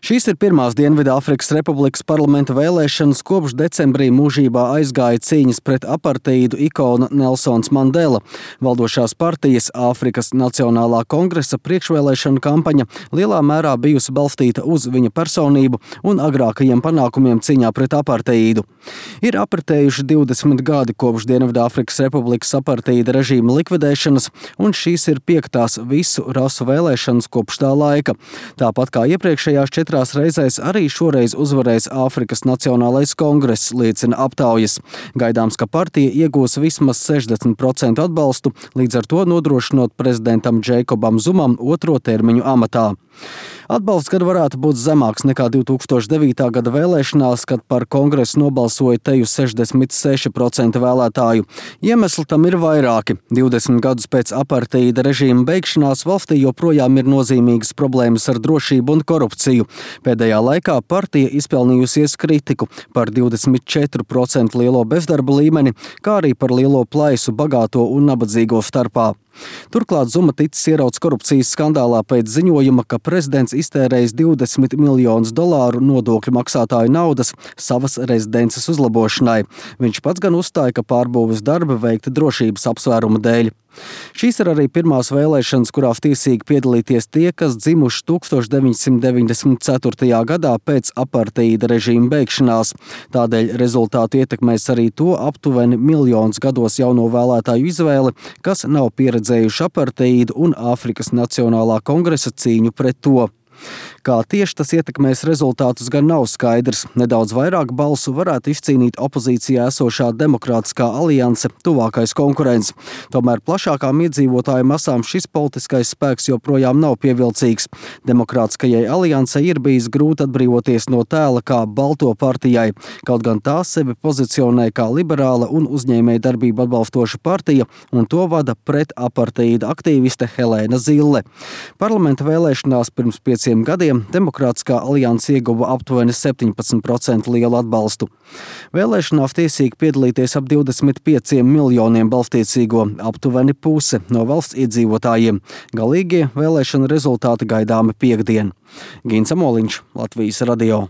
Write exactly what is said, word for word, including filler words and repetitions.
Šīs ir pirmās Dienvidāfrikas Republikas parlamenta vēlēšanas, kopš decembrī mūžībā aizgāja cīņas pret aparteīdu ikona Nelsons Mandela. Valdošās partijas Āfrikas Nacionālā kongresa priekšvēlēšana kampaņa lielā mērā bijusi balstīta uz viņa personību un agrākajiem panākumiem cīņā pret aparteīdu. Ir apritējuši divdesmit gadi kopš Dienvidāfrikas Republikas aparteīda režīma likvidēšanas, un šīs ir piektās visu rasu vēlēšanas kopš tā laika. Tāpat kā iepriekšējās četrās reizēs arī šoreiz uzvarēs Āfrikas Nacionālais kongress, liecina aptaujas. Gaidāms, ka partija iegūs vismaz sešdesmit procentu atbalstu, līdz ar to nodrošinot prezidentam Džeikobam Zumam otro termiņu amatā. Atbalsts gan varētu būt zemāks nekā divi tūkstoši devītā gada vēlēšanās, kad par kongresu nobalsoja teju sešdesmit seši procenti vēlētāju. Iemesli tam ir vairāki. divdesmit gadus pēc aparteīda režīma beigšanās valstī joprojām ir nozīmīgas problēmas ar drošību un korupciju. Pēdējā laikā partija izpelnījusies kritiku par divdesmit četru procentu lielo bezdarba līmeni, kā arī par lielo plaisu bagāto un nabadzīgo starpā. Turklāt Zuma ticis ierauts korupcijas skandālā pēc ziņojuma, ka prezidents iztērējis divdesmit miljonus dolāru nodokļu maksātāju naudas savas rezidences uzlabošanai. Viņš pats gan uzstāja, ka pārbūves darbi veikti drošības apsvērumu dēļ. Šīs ir arī pirmās vēlēšanas, kurās tiesīgi piedalīties tie, kas dzimuši tūkstoš deviņsimt deviņdesmit ceturtajā gadā pēc aparteīda režīma beigšanās. Tādēļ rezultātu ietekmēs arī to aptuveni miljonus gados jauno vēlētāju izvēli, kas nav pieredzējuši aparteīdu un Āfrikas Nacionālā kongresa cīņu pret to. Kā tieši tas ietekmēs rezultātus, gan nav skaidrs. Nedaudz vairāk balsu varētu izcīnīt opozīcijā esošā Demokrātiskā alianse, tuvākais konkurents. Tomēr plašākām iedzīvotāju masām šis politiskais spēks joprojām nav pievilcīgs. Demokrātiskajai aliansei ir bijis grūti atbrīvoties no tēla kā balto partijai, kaut gan tā sevi pozicionē kā liberāla un uzņēmēja darbību atbalstoša partija, un to vada pret aparteīda aktīviste Helēna Zille. Parlamenta vēlēšanās pirms pieciem gadiem Demokrātiskā alianse ieguva aptuveni septiņpadsmit procentu lielu atbalstu. Vēlēšanās tiesīgi piedalīties ap divdesmit pieciem miljoniem balstiesīgo, aptuveni puse no valsts iedzīvotājiem. Galīgie vēlēšana rezultāti gaidāmi piektdien. Gins Amoliņš, Latvijas radio.